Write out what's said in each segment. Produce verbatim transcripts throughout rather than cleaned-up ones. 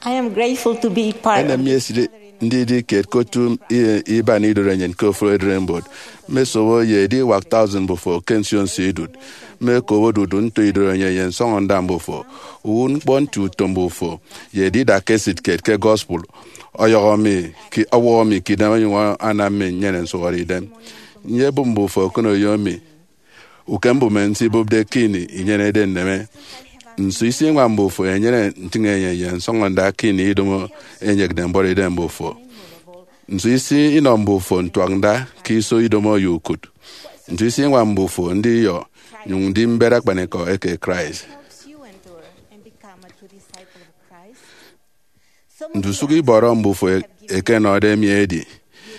I am grateful to be part of enem mi esidi ndidi kiet ke otu i- iban idorenyin ke ofụri ererimbot. Mmesobo ye ediwak thousand mbufo ke nsio nsio idụt. Mmekobo dudu nto idorenyin ye nsọñọnda mbufo. Uwụtñkpọ nti utom mbufo ye edida ke esịt kiet ke gospel ọyọhọ mi ki- ọwọhọ mi ke idem onyụñ anam mi nnyene nsụhọdeidem. Nyebụp mbufo okụnoyo mi. Ukem mbụme nte ibụpde ke ini inyenede nneme. Nso isi iñwam mbufo enyene ntịñenyịn ye nsọñọnda ke ini idomo enyekde mbuọtidem mbufo? Nso isi inọ mbufo ntuaknda ke iso idomo ye ukụt? Nso isi iñwam mbufo ndiyọ nyụñ ndi mbet akpanikọ eke Christ? Ndusụk ibọrọ mbufo e- ẹkenọde mi edi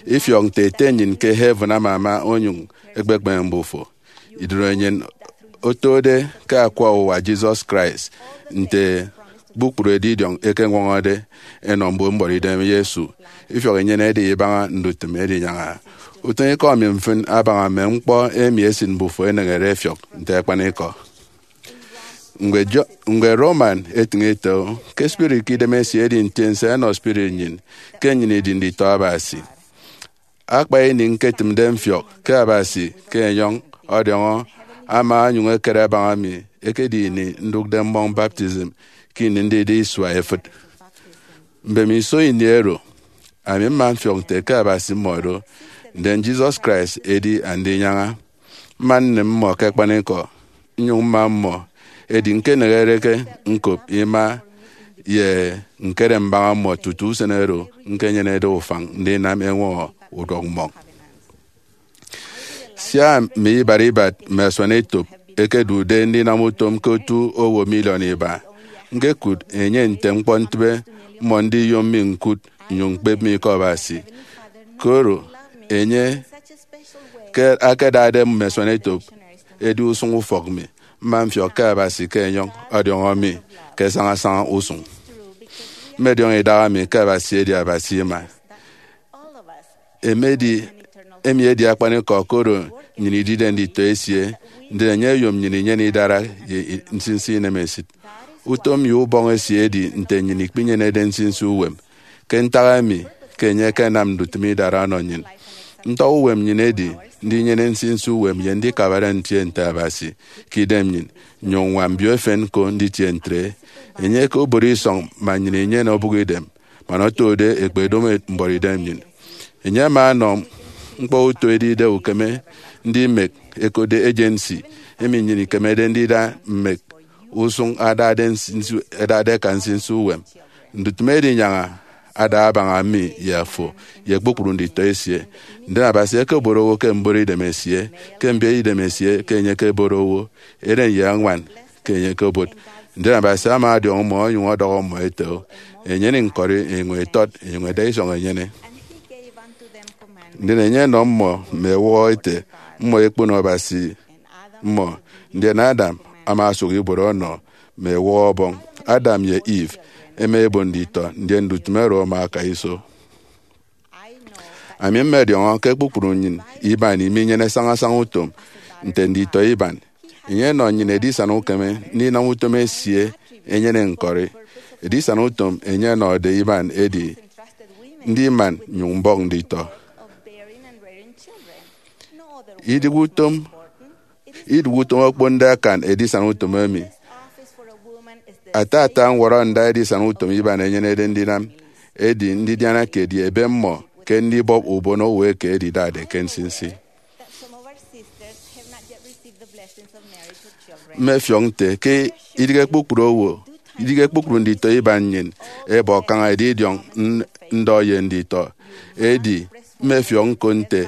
ifiọk nte Ete nnyịn ke heaven amama onyụñ ekpekpeme mbufo. Idorenyin otode ke akwa uwa Jesus Christ nte kpukpru edidiọñ ẹkeñwọñọde ẹnọ mbon mbuọtidem Yesu. Ifiọk inyenede ibaña ndutịm edinyaña. Utịñikọ mi mfịn abaña mme ñkpọ emi esịt mbufo eneñede ẹfiọk nte akpanikọ. Ñkpọ Roman etịñ ete, ke spirit ke idemesie edi ntiense ẹnọ spirit nnyịn, ke nnyịn idi nditọ Abasi. Akpa ini ñketịmde mfiọk ke Abasi ke enyọñ ọdiọñọ ama onyụñ ekere abaña mi ekedi ini ndụkde mmọñ baptism ke ini ndide isua efịt. Mbemiso ini oro, ami mma mfiọk nte ke Abasi mmọdo, ndien Jesus Christ edi Andinyaña. Mma nnịm mmọ ke akpanikọ, nnyụñ mma mmọ, edi ñkeneghereke ñkop ima ye ñkere mbaña mmọ tutu usen oro ñkenyenede ufañ ndinam eñwọñọ uduọkmmọñ. Sia mme ibat ibat mme asuanetop ẹkedude ndinam utom ke otu owo miliọn iba, ñkekụt enye nte ñkpọ ntịbe mmọ ndiyom mi ñkụt nnyụñ ñkpep mi ke Abasi. Koro enye ke akedade mme asuanetop edi usụñ ufọk mi, mma mfiọk ke Abasi ke enyọñ ọdiọñọ mi ke sañasaña usụñ. Mmediọñọ idaha mi ke Abasi edi Abasi ima. Emedi, emi edi akpanikọ, koro nnyịn idide nditọ esie, ndien enye oyom nnyịn inyene idara ye i- nsinsi inemesịt. Utom ye ubọñ esie edi nte nnyịn ikpinyenede nsinsi uwem. Ke ntak emi ke enye ekenam ndutịm idara ọnọ nnyịn? Ntọñọ uwem nnyịn edi ndinyene nsinsi uwem ye ndikabare ntie nte Abasi ke idem nnyịn, nnyụñ ññwam mbio efen ñko nditie ntre. Enye ke obot isọñ man nnyịn inyene obụk idem, man otode ekpedomo mbuọtidem nnyịn. Enye ama ọnọ ñkpọ uto edide ukeme ndimek ẹkotde agency emi nnyịn ikemede ndida mme usụñ adade nsinsi- adade aka nsinsi uwem. Ndutịm edinyaña ada abaña mi ye afo ye kpukpru nditọ esie. Ndien Abasi ekebot owo ke mbuọtidem esie, ke mbiet idem esie ke enye ekebot owo, eren ye añwan ke enye ekebot. Ndien Abasi ama ọdiọñ mmọ onyụñ ọdọhọ mmọ ete, enyene ñkọri, enyụñ etọt, enyụñ eda isọñ enyene. Ndien enye ọnọ mmọ mme ewọhọ ete, mmọ ekpono Abasi mmọ. Ndien Adam ama osụk ibuot ọnọ mme ewọhọ Ọbọñ. Adam ye Eve ẹma ẹbon nditọ, ndien ndutịm oro ama aka iso. Ami mmediọñọ ke kpukpru nnyịn iban iminyene sañasaña utom nte nditọ iban. Enye ọnọ nnyịn edisana ukeme ndinam utom esie enyene ñkọri. Edisana utom enye ọnọde iban edi ndiman nnyụñ mbọk nditọ. Idịghe utom, idịghe utom okponde akan edisana utom emi. Ata ata ñwọrọnda edisana utom iban enyenede ndinam edi ndidiana kiet ye ebe mmọ ke ndibọp ubon owo eke edidade ke nsinsi. Mmefiọk nte ke idịghe kpukpru owo, idịghe kpukpru nditọ iban nnyịn ẹbọ kaña edidiọñ n- ndọ ye nditọ. Edi mmefiọk ñko nte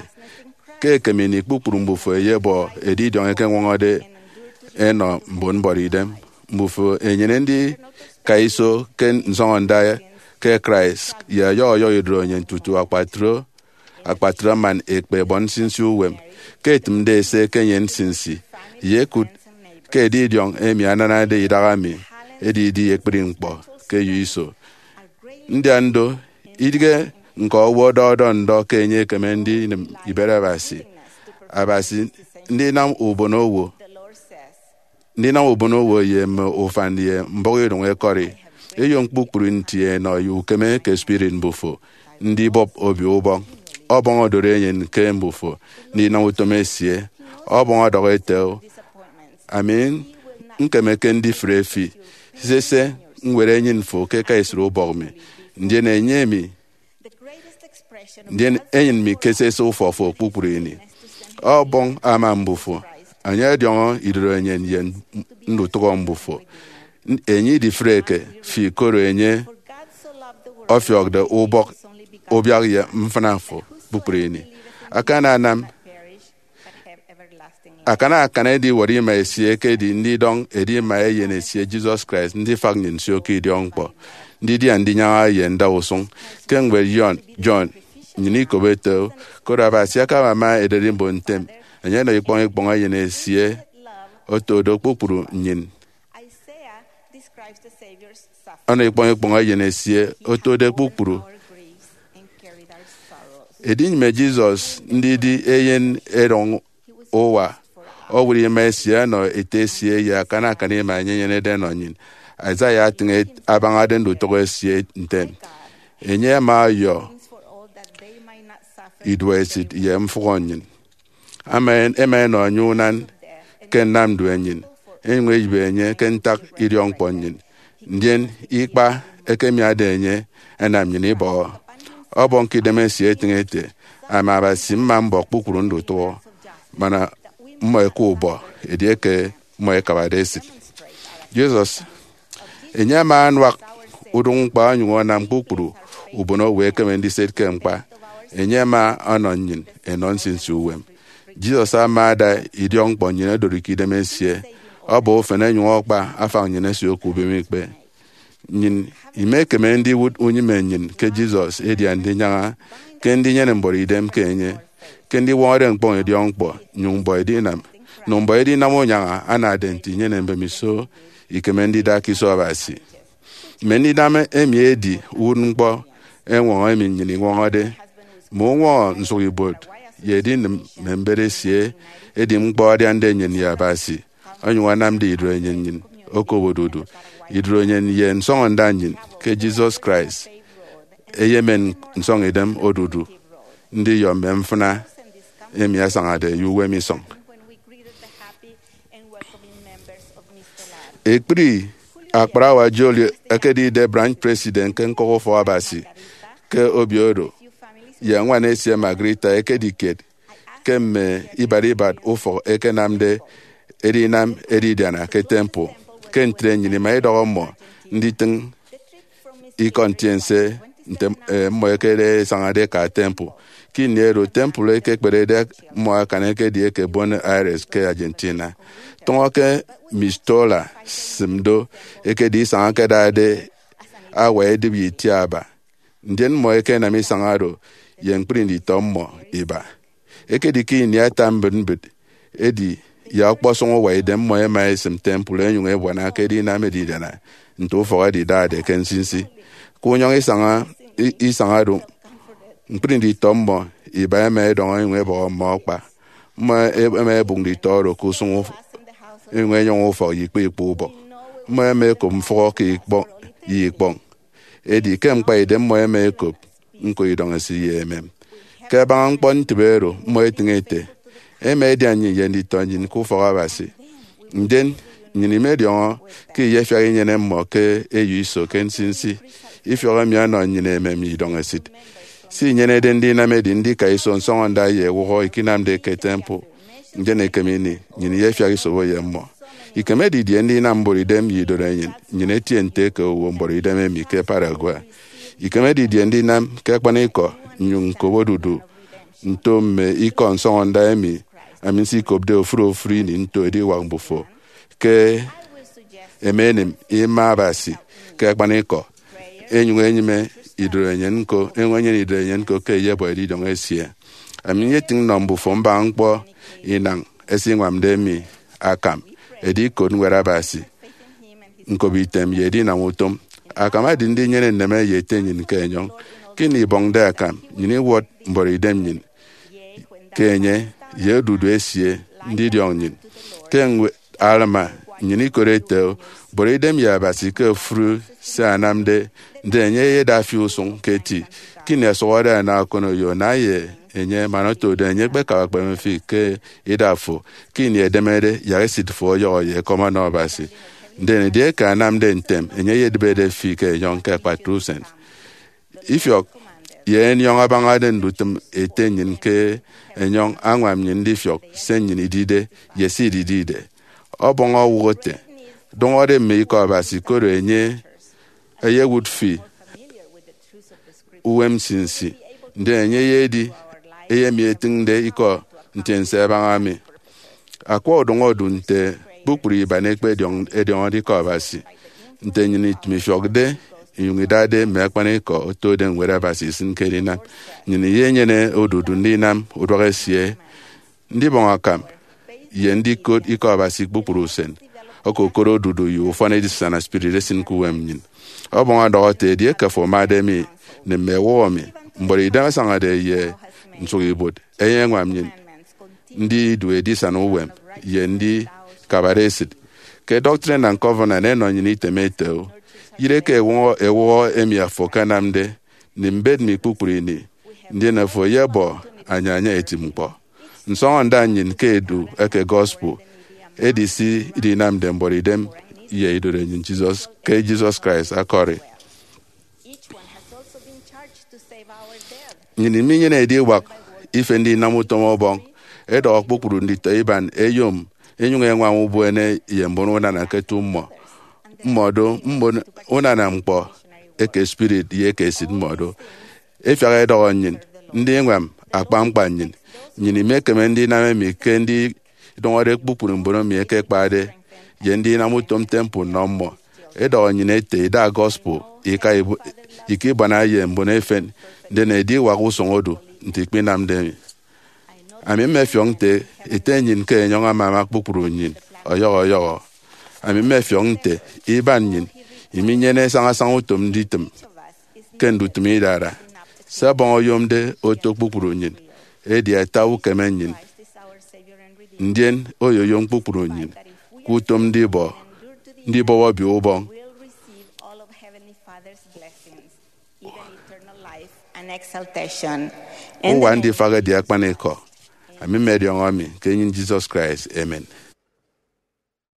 ke ekem ini kpukpru mbufo ẹyebọ edidiọñ ẹkeñwọñọde ẹnọ mbon mbuọtidem. Mbufo ẹnyene ndika iso ke nsọñọnda ke Christ ye ọyọhọ ọyọhọ idorenyin tutu akpatre akpatre man ekpe ẹbọ nsinsi uwem. Ke etịmde ese ke enye nsinsi, ye ekụt ke edidiọñ emi ananade idaha mi edidi ekpri ñkpọ ke eyo iso. Ndian do, idịghe ñka owo ọdọhọde ndọ ke enye ekeme ndinịm ibet Abasi. Abasi ndinam ubon owo, ndinam ubon owo ye mme ufan ye mbọhọidụñ ẹkọri. Eyom kpukpru nti enọ ye ukeme ke spirit mbufo ndibọp obio ubọñ. Ọbọñ odoro enyin ke mbufo ndinam utom esie. Ọbọñ ọdọhọ ete, "O, ami nkemeke ndifre fi, sese, ñwed enyin fo ke eka esịt ubọk mi, ndien enye mi, ndien enyin mi ke sese ufọk fo kpukpru ini." Ọbọñ ama mbufo, enye ọdiọñọ idorenyin ye ndutụhọ mbufo. Enye idifreke fi, koro enye ọfiọkde ubọk, ubiak ye mfịna fo kpukpru ini. Akananam, akanakan ediwọrọ ima esie ekedi ndidọñ edima Eyen esie, Jesus Christ, ndifak nnyịn nsio ke idiọkñkpọ, ndidia ndinyaña ye ndausụñ. Ke ñwed John, John, nnyịn ikop ete, "Koro Abasi akabama ererimbot ntem, enye ọnọ ikpọñ ikpọñ Eyen esie oto do kpukpru nnyịn." Ọnọ ikpọñ ikpọñ Eyen esie otode kpukpru. Edinyịme Jesus ndidi eyen erọñ uwa owụt ima esie ọnọ Ete esie ye akana akana ima enye enyenede ẹnọ nnyịn. Isaiah atịñ abañade ndutụhọ esie ntem. Enye ama ọyọ iduọesịt ye mfụhọ nnyịn. Ama en-, ẹma ẹnọ enye unan ke nnamdu enyịn, ẹnyụñ ẹyịbe enye ke ntak idiọkñkpọ nnyịn. Ndien ikpa ẹkemiade enye ẹnam nnyịn ibọhọ. Ọbọñ ke idem esie etịñ ete, "Ami Abasi mma mbọ kpukpru ndutụhọ, mana mmọ ẹka ubọ edieke mmọ ẹkabade esịt." Jesus, enye ama anuak udụñ ñkpa onyụñ anam kpukpru ubonowo ẹkeme ndiset ke ñkpa. Enye ama ọnọ nnyịn enọ nsinsi uwem. Jesus ama ada idiọkñkpọ nnyịn odori ke idem esie, ọbọ ufen, ẹnyụñ ọkpa afañ nnyịn ẹsio ke ubemikpe. Nnyịn imekeme ndiwụt unyịme nnyịn ke Jesus, edia ndinyaña, ke ndinyene mbuọtidem ke enye, ke ndiwọñọde ñkpọñ idiọkñkpọ, nyụñ mbọ edinam, nụm mbọ edinam unyaña anade nte inyene mbemiso ikeme ndida ke iso Abasi. Mme ndinam emi edi uwụtñkpọ eñwọñọ emi nnyịn iñwọñọde. Mme uñwọñọ nsụkibuot ye edinịm mme mbet esie edi ñkpọ adiande nnyịn ye Abasi, onyụñ anamde idorenyin nnyịn okop odudu. Idorenyin ye nsọñọnda nnyịn ke Jesus Christ eyemen nsọñidem odudu ndiyọ mme mfịna emi asañade ye uwem isọñ. Ekpri akparawa Jolie ekedide branch president ke ñkọk ufọk Abasi ke obio oro, ye ñwan esie Margarita ekedi kiet ke mme ibat ibat ufọk ẹkenamde edinam edidiana ke temple. Ke ntre, nnyịn ima idọhọ mmọ nditịñ ikọ ntiense nte, eh, mmọ ẹkere ẹsañade ẹka temple. Ke ini oro temple ekekperede mmọ akan ekedi eke Buenos Aires ke Argentina. Tụñọ ke Mistola, sịm do, ekedi isañ ẹkedade awa edịp ye itiaba. Ndien mmọ ẹkenam isañ oro ye ñkpri nditọ mmọ iba. Ekedi ke ini ata mbịt mbịt, edi ye ọkpọsọñ uwa idem mmọ ẹma ẹsịm temple ẹnyụñ ẹbuana ke edinam edidiana nte ufọk ẹdidade ke nsinsi. Ke unyọñ isañ, i-, isañ oro, ñkpri nditọ mmọ iba ẹma ẹdọñ ẹnyụñ ẹbọhọ mmọ akpa. Mmọ ẹma ẹbụk nditọ oro ke usụñ uf-, ẹnyụñ ẹnyọñ ufọk ye ikpọ ikpọ ubọk. Mmọ ẹma ẹkop mfụhọ ke ikpọ ye ikpọñ. Edi ke ñkpaidem mmọ ẹma ẹkop ñko idọñesịt ye emem. Ke abaña ñkpọ ntịbe oro, mmọ ẹtịñ ete, "Ẹma ẹdia nnyịn ye nditọ nnyịn ke ufọk Abasi. Ndien nnyịn imediọñọ ke iyefiak inyene mmọ ke eyo iso ke nsinsi. Ifiọk emi ọnọ nnyịn emem ye idọñesịt. Se inyenede ndinam edi ndika iso nsọñọnda ye ewụhọ ikinamde ke temple. Ndien ekem ini, nnyịn iyefiak isobo ye mmọ." Ikeme didie ndinam mbuọtidem ye idorenyin nnyịn etie nte eke owo mbuọtidem emi ke Paraguay? Ikeme didie ndinam ke akpanikọ nnyụñ ñkop odudu nto mme ikọ nsọñọnda emi ami nsikopde ofụri ofụri ini nto ediwak mbufo ke ẹmenịm ima Abasi ke akpanikọ, ẹnyụñ ẹnyịme idorenyin ñko, ẹnyụñ ẹnyene idorenyin ñko ke ẹyebọ edidiọñ esie? Ami nyetịñ nnọ mbufo mbaña ñkpọ inañ ẹsiñwamde mi akam, edi ikot Ñwed Abasi, ñkop item ye edinam utom. Akam edi ndinyene nneme ye Ete nnyịn ke enyọñ. Ke ini ibọñde akam, nnyịn iwọt mbuọtidem nnyịn ke enye ye odudu esie ndidiọñ nnyịn. Ke ñwed Alma Nnyịn ikot ete, boro idem ye Abasi ke ofụri se anamde, ndien enye eyedafi usụñ ke eti. Ke ini ẹsụhọde ẹnọ akọnoyo, na ye enye, man oto do enye ekpekabakpeme fi ke idak fo. Ke ini edemede, yak esịt fo ọyọhọ ye ekọm ọnọ Abasi. Ndien edieke anamde ntem, enye eyedịbede fi ke enyọñ ke akpatre usen. Ifiọk ye enyọñ abañade ndutịm ete nnyịn ke enyọñ añwam nnyịn ndifiọk se nnyịn idide ye se ididide. Ọbọñ owụk ete, dụñọde mme ikọ Abasi, koro enye eyewụt fi uwem nsinsi, ndien enye eyedi emi etịñde ikọ ntiense ẹbaña mi. Akwa udọñ odu nte kpukpru iban ekpediọñ-, ediọñọde ikọ Abasi. Nte nnyịn itịm ifiọkde inyụñ idade mme akpanikọ otode Ñwed Abasi isịn ke edinam, nnyịn iyenyene odudu ndinam uduak esie, ndibọñ akam, ye ndikot ikọ Abasi kpukpru usen. Okokot odudu ye ufọn edisana spirit esịn ke uwem nnyịn. Ọbọñ ọdọhọ ete, edieke afo amade mi, nịm mme ewụhọ mi, mbuọtidem asañade ye nsụkibuot ẹyeñwam nnyịn ndidu edisana uwem ye ndikabade esịt. Ke Doctrine and Covenants ẹnọ nnyịn item ete, yire ke ewụhọ, ewụhọ emi afo akanamde, nịm mbet mi kpukpru ini, ndien afo eyebọ anyaña eti ñkpọ. Nsọñọnda nnyịn ke edu eke gospel edi se idinamde mbuọtidem ye idorenyin Jesus ke Jesus Christ akọri. Nnyịn iminyene ediwak ife ndinam utom Ọbọñ. Edọhọ kpukpru nditọ iban ẹyom ẹnyụñ ẹñwam ubuene ye mbon unana ke eto mmọ. Mmọdo mbon unana ñkpọ eke spirit ye eke esịt mmọdo. Efiak edọhọ nnyịn ndiñwam akpa ñkpa nnyịn. Nnyịn imekeme ndinam emi ke ndidụñọde kpukpru mbon emi ẹkekpade ye ndinam utom temple nnọ mmọ. Edọhọ nnyịn ete, idak gospel ika ibu-, ika ibuana ye mbon efen, ndien ediwak usụñ odu nte ikpinamde emi. Ami mmefiọk nte ete nnyịn ke enyọñ amama kpukpru nnyịn ọyọhọ ọyọhọ. Ami mmefiọk nte iban nnyịn iminyene sañasaña utom nditịm ke ndutịm idara. Se Ọbọñ oyomde oto kpukpru nnyịn edi ata ukeme nnyịn, ndien oyoyom kpukpru nnyịn ke utom ndibọ, ndibọp Obio Ubọñ. Uwa ndifak edi akpanikọ. Ami mmediọñọ mi ke enyịn Jesus Christ, amen.